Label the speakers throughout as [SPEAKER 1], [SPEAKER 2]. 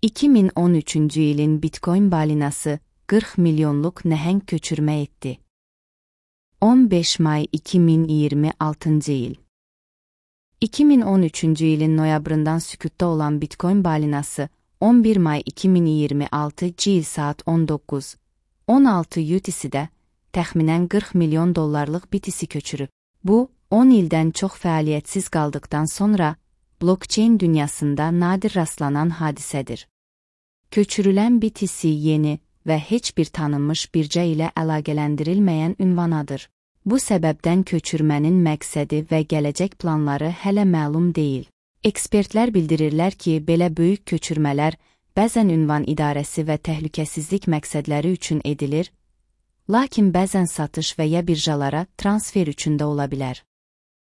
[SPEAKER 1] 2013-cü ilin Bitcoin balinası 40 milyonluq nəhəng köçürmə etdi. 15 may 2026-cı il. 2013-cü ilin noyabrından sükutda olan Bitcoin balinası 11 may 2026-cı il saat 19:16 UTC-də təxminən 40 milyon dollarlıq BTC köçürüb. Bu, 10 ildən çox fəaliyyətsiz qaldıqdan sonra blockchain dünyasında nadir rastlanan hadisədir. Köçürülən BTC yeni və heç bir tanınmış bircə ilə əlaqələndirilməyən ünvanadır. Bu səbəbdən köçürmənin məqsədi və gələcək planları hələ məlum deyil. Ekspertlər bildirirlər ki, belə böyük köçürmələr bəzən ünvan idarəsi və təhlükəsizlik məqsədləri üçün edilir, lakin bəzən satış və ya birjalara transfer üçün də ola bilər.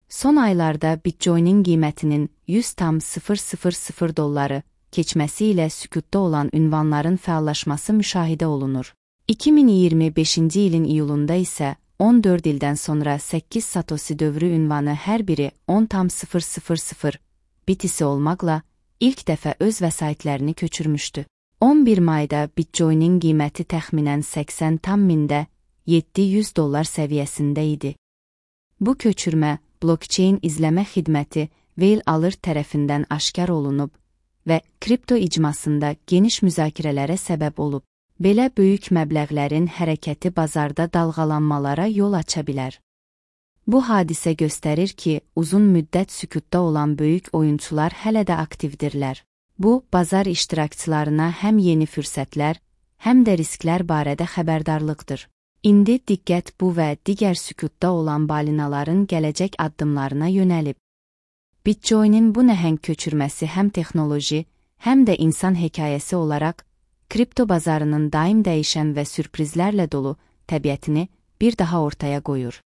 [SPEAKER 1] Son aylarda Bitcoin'in qiymətinin 100,000 dolları keçməsi ilə sükutda olan ünvanların fəallaşması müşahidə olunur. 2025-ci ilin iyulunda isə 14 ildən sonra 8 Satoshi dövrü ünvanı hər biri 10,000 BTC olmaqla ilk dəfə öz vəsaitlərini köçürmüşdü. 11 mayda Bitcoin'in qiyməti təxminən 80,000 $700 səviyyəsində idi. Bu köçürmə blockchain izləmə xidməti Whale Alert tərəfindən aşkar olunub və kripto icmasında geniş müzakirələrə səbəb olub. Belə böyük məbləğlərin hərəkəti bazarda dalğalanmalara yol aça bilər. Bu hadisə göstərir ki, uzun müddət sükutda olan böyük oyunçular hələ də aktivdirlər. Bu, bazar iştirakçılarına həm yeni fürsətlər, həm də risklər barədə xəbərdarlıqdır. İndi diqqət bu və digər sükutda olan balinaların gələcək addımlarına yönəlib. Bitcoin'in bu nəhəng köçürməsi həm texnoloji, həm də insan hekayəsi olaraq kripto bazarının daim dəyişən və sürprizlərlə dolu təbiətini bir daha ortaya qoyur.